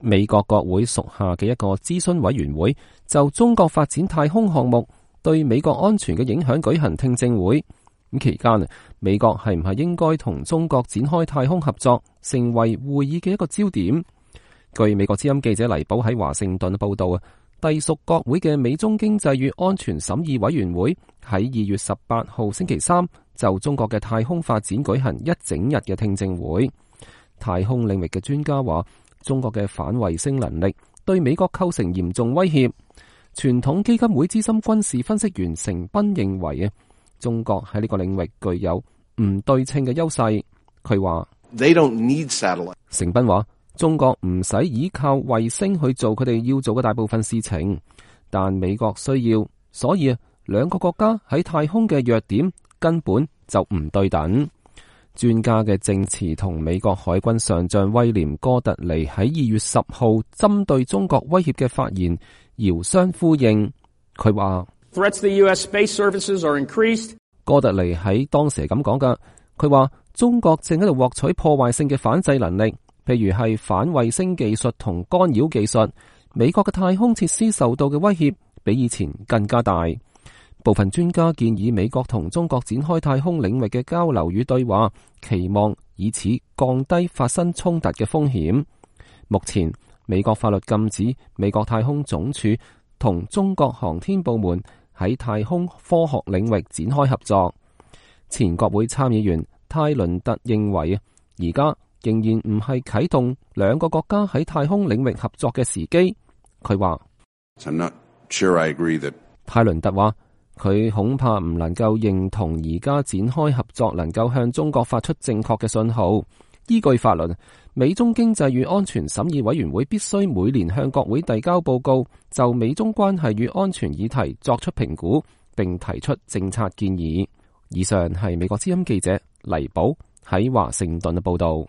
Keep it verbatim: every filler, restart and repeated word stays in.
美國國會屬下嘅一個諮詢委員會就中國發展太空項目對美國安全嘅影響舉行聽證會。咁期間，美國係唔係應該同中國展開太空合作，成為會議嘅一個焦點。據美國之音記者黎寶喺華盛頓報道啊，隸屬國會嘅美中經濟與安全審議委員會喺二月十八號星期三就中國嘅太空發展舉行一整日嘅聽證會。太空領域嘅專家話，中國嘅反衛星能力對美國構成嚴重威脅。傳統基金會資深軍事分析員成斌認為啊，中國喺呢個領域具有唔對稱嘅優勢。佢話：They don't need satellite。成斌話，中國唔使依靠衛星去做佢哋要做嘅大部分事情，但美國需要，所以啊，兩個國家喺太空嘅弱點根本就唔對等。專家嘅證詞同美國海軍上將威廉哥特尼喺二月十號針對中國威脅嘅發言遙相呼應。佢話：Threats to the U S space services are increased。哥特尼喺當時係咁講噶，佢話中國正喺度獲取破壞性嘅反制能力，譬如係反衛星技術同干擾技術。美國嘅太空設施受到嘅威脅比以前更加大。部分專家建議美國同中國展開太空領域嘅交流與對話，期望以此降低發生衝突嘅風險。目前，美國法律禁止美國太空總署同中國航天部門喺太空科學領域展開合作。前國會參議員泰倫特認為，而家仍然唔係啟動兩個國家喺太空領域合作嘅時機。佢話：I'm not sure I agree that。泰倫特話，佢恐怕唔能夠認同而家展開合作能夠向中國發出正確嘅信號。依據法律，美中經濟與安全審議委員會必須每年向國會遞交報告，就美中關係與安全議題作出評估，並提出政策建議。以上係美國之音記者黎寶喺華盛頓嘅報道。